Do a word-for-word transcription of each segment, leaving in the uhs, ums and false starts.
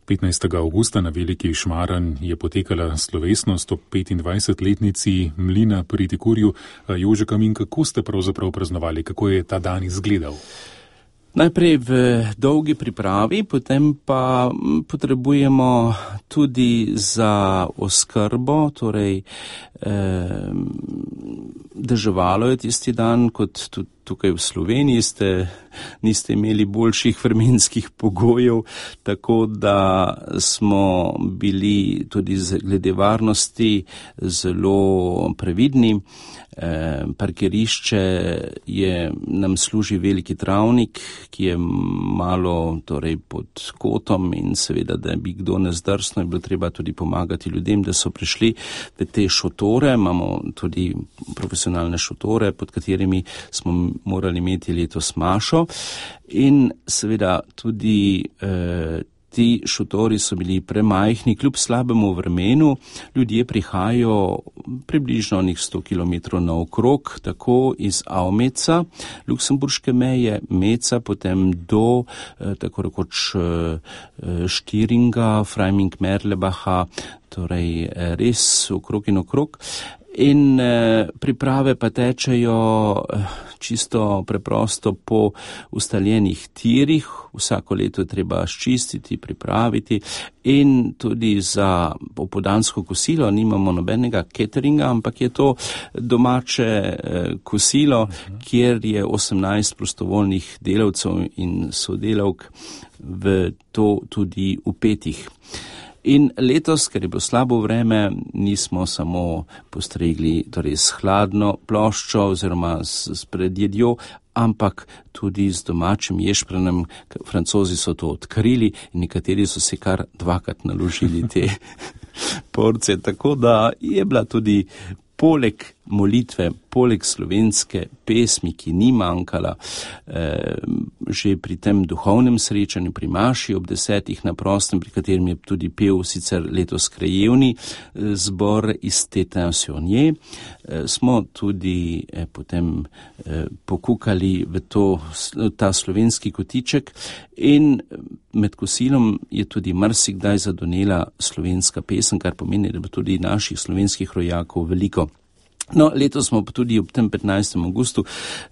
petnajstega avgusta na Veliki Šmaran je potekala slovesnost ob petindvajsetletnici mlina pri Tikurju. Jože Kamin, kako ste pravzaprav praznovali, kako je ta dan izgledal? Najprej v dolgi pripravi, potem pa potrebujemo tudi za oskrbo, torej eh, deževalo je tisti dan, kot tudi tukaj v Sloveniji ste, niste imeli boljših vremenskih pogojev, tako da smo bili tudi glede varnosti zelo previdni. Eh, parkirišče je, nam služi veliki travnik, ki je malo torej pod kotom in seveda, da bi kdo ne zdrsno, je bilo treba tudi pomagati ljudem, da so prišli v te šotore. Imamo tudi profesionalne šotore, pod katerimi smo morali imeti letos mašo in seveda tudi eh, ti šotori so bili premajhni, kljub slabemu vremenu, ljudje prihajajo približno onih sto kilometrov naokrog, tako iz Avmeca, luksemburške meje, Meca, potem do eh, tako rekoč eh, Štiringa, Freiming-Merlebacha, torej eh, res okrog in okrog. In eh, priprave pa tečejo eh, čisto preprosto po ustaljenih tirih, vsako leto je treba ščistiti, pripraviti in tudi za popoldansko kosilo nimamo nobenega cateringa, ampak je to domače eh, kosilo, kjer je osemnajst prostovoljnih delavcev in sodelavk v to tudi vpetih. In letos, ker je bilo slabo vreme, nismo samo postregli torej s hladno ploščo oziroma s, s predjedjo, ampak tudi z domačim ješprenem. Francozi so to odkrili in nekateri so si kar dvakrat naložili te porcije, tako da je bila tudi poleg molitve, poleg slovenske pesmi, ki ni manjkala, eh, že pri tem duhovnem srečanju pri maši ob desetih na prostem, pri katerem je tudi pel sicer letos krajevni eh, zbor iz Tétin-Saunier, eh, smo tudi eh, potem eh, pokukali v to, ta slovenski kotiček in med kosilom je tudi marsikdaj zadonela slovenska pesem, kar pomeni, da bo tudi naših slovenskih rojakov veliko. No, letos smo tudi ob tem petnajstem avgustu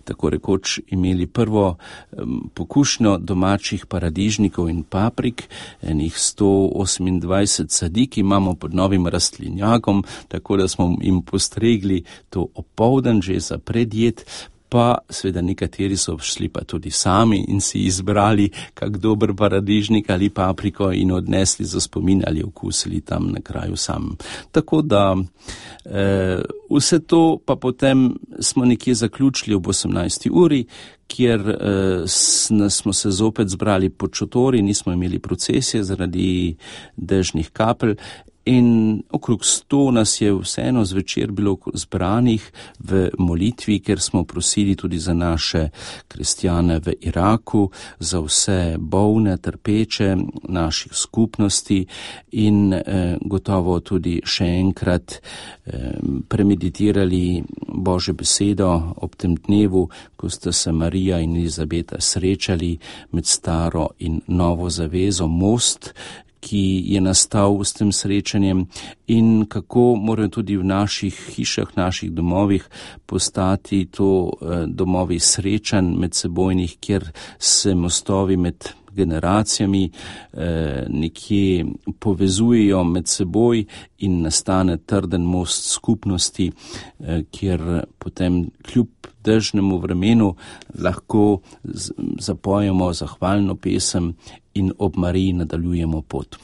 tako rekoč imeli prvo um, pokušnjo domačih paradižnikov in paprik, enih sto osemindvajset sadik imamo pod novim rastlinjakom, tako da smo jim postregli to opoldan že za predjed, pa seveda nekateri so šli pa tudi sami in si izbrali kak dober paradižnik ali papriko in odnesli za spomin ali okusili tam na kraju sam. Tako da eh, vse to pa potem smo nekje zaključili ob osemnajsti uri, kjer eh, smo se zopet zbrali pod šotori, nismo imeli procesije zaradi dežnih kapelj. In okrog sto nas je vseeno zvečer bilo zbranih v molitvi, ker smo prosili tudi za naše kristjane v Iraku, za vse bolne, trpeče naših skupnosti in eh, gotovo tudi še enkrat eh, premeditirali Božjo besedo ob tem dnevu, ko sta se Marija in Elizabeta srečali med staro in novo zavezo, most, ki je nastal s tem srečanjem in kako morajo tudi v naših hišah, naših domovih postati to eh, domovi srečanj medsebojnih, kjer se mostovi med generacijami eh, nekje povezujejo med seboj in nastane trden most skupnosti, eh, kjer potem kljub dežnemu vremenu lahko z, zapojemo zahvalno pesem in ob Mariji nadaljujemo pot.